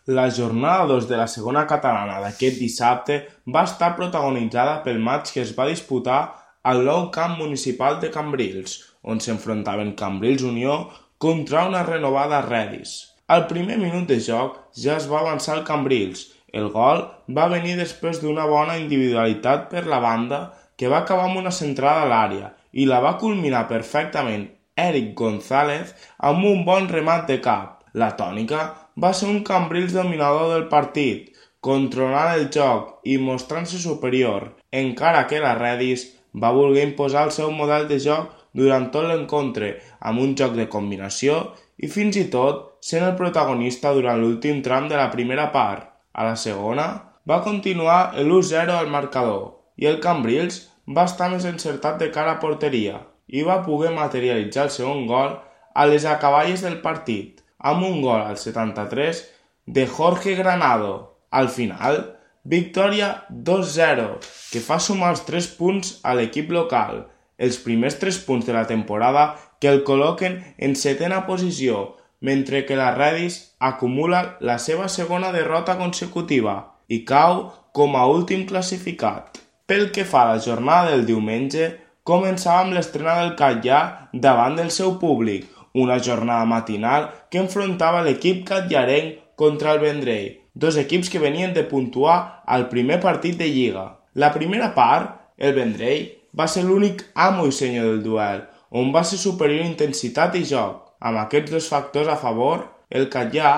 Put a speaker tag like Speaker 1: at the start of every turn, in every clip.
Speaker 1: La jornada 2 de la segona catalana d'aquest dissabte va estar protagonitzada pel maig que es va disputar al nou camp municipal de Cambrils, on s'enfrontaven Cambrils Unió contra una renovada Redis. Al primer minut de joc ja es va avançar el Cambrils. El gol va venir després d'una bona individualitat per la banda que va acabar amb una centrada a l'àrea i la va culminar perfectament Eric González amb un bon remat de cap. La tònica va ser un Cambrils dominador del partit, controlant el joc i mostrant-se superior, encara que la Redis va voler imposar el seu model de joc durant tot l'encontre amb un joc de combinació i fins i tot sent el protagonista durant l'últim tram de la primera part. A la segona va continuar l'1-0 al marcador i el Cambrils va estar més encertat de cara a porteria i va poder materialitzar el segon gol a les acaballes del partit, amb un gol al 73 de Jorge Granado. Al final, victòria 2-0, que fa sumar els 3 punts a l'equip local, els primers 3 punts de la temporada que el col·loquen en 7ª posició, mentre que la Redis acumula la seva segona derrota consecutiva i cau com a últim classificat. Pel que fa a la jornada del diumenge, començava amb l'estrena del Catllà davant del seu públic, una jornada matinal que enfrontava l'equip catllarenc contra el Vendrell, dos equips que venien de puntuar al primer partit de Lliga. La primera part, el Vendrell, va ser l'únic amo i senyor del duel, on va ser superior intensitat i joc. Amb aquests dos factors a favor, el Catllà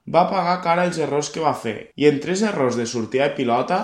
Speaker 1: va pagar cara els errors que va fer, i en 3 errors de sortida de pilota,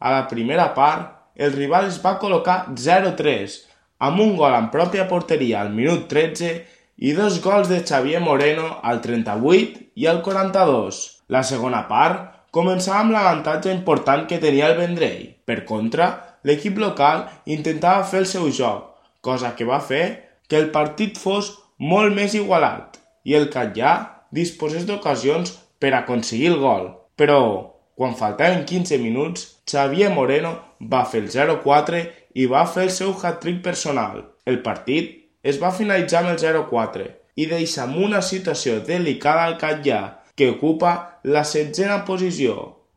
Speaker 1: a la primera part, el rival es va col·locar 0-3, amb un gol en pròpia porteria al minut 13 i 2 gols de Xavier Moreno al 38 i al 42. La segona part començava amb l'avantatge important que tenia el Vendrell. Per contra, l'equip local intentava fer el seu joc, cosa que va fer que el partit fos molt més igualat i el Catllà disposés d'ocasions per aconseguir el gol. Però, quan faltaven 15 minuts, Xavier Moreno va fer el 0-4 i va fer el seu hat-trick personal. El partit es va finalitzar amb el 0-4 i deixa amb una situació delicada al Catllà, que ocupa la 7ª posició,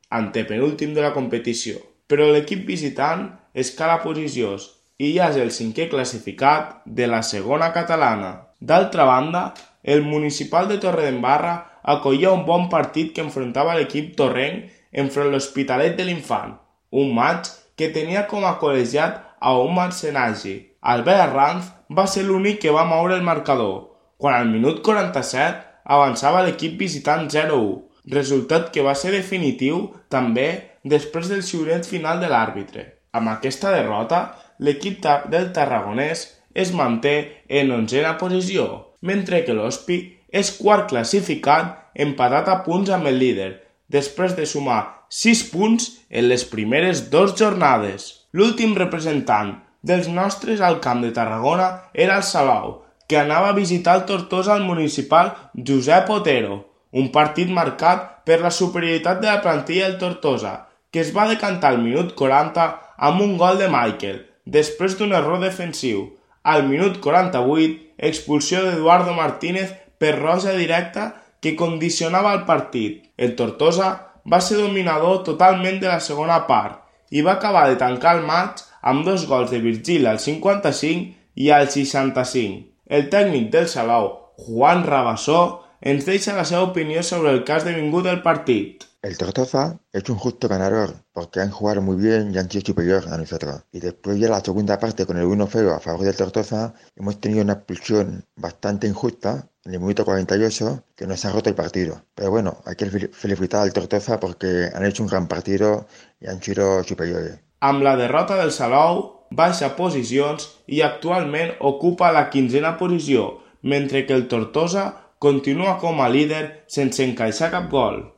Speaker 1: antepenúltim de la competició. Però l'equip visitant escala posicions i ja és el 5è classificat de la segona catalana. D'altra banda, el Municipal de Torredembarra acollia un bon partit que enfrontava l'equip torrenc enfront l'Hospitalet de l'Infant, un maig que tenia com a col·legiat a Omar Senagi. Albert Arranz va ser l'únic que va moure el marcador, quan al minut 47 avançava l'equip visitant 0-1, resultat que va ser definitiu també després del xiulet final de l'àrbitre. Amb aquesta derrota, l'equip del Tarragonès es manté en 11ª posició, mentre que l'Hospi és quart classificat empatat a punts amb el líder, després de sumar 6 punts en les primeres 2 jornades. L'últim representant dels nostres al Camp de Tarragona era el Salou, que anava a visitar el Tortosa al municipal Josep Otero, un partit marcat per la superioritat de la plantilla del Tortosa, que es va decantar al minut 40 amb un gol de Michael, després d'un error defensiu. Al minut 48, expulsió d'Eduardo Martínez per roja directa que condicionava el partit. El Tortosa va ser dominador totalment de la segona part i va acabar de tancar el maig amb 2 gols de Virgili al 55 i al 65. El tècnic del Salou, Juan Rabassó, ens deixa la seva opinión sobre el que ha esdevingut del partido.
Speaker 2: El Tortosa es un justo ganador porque han jugado muy bien y han sido superior a nosotros. Y después ya la segunda parte con el 1-0 a favor del Tortosa hemos tenido una expulsión bastante injusta en el minuto 48 que nos ha roto el partido. Pero bueno, hay que felicitar al Tortosa porque han hecho un gran partido y han sido superiores.
Speaker 1: Amb la derrota del Salou baixa posicions i actualment ocupa la 15ª posició, mentre que el Tortosa continua com a líder sense encaixar cap gol.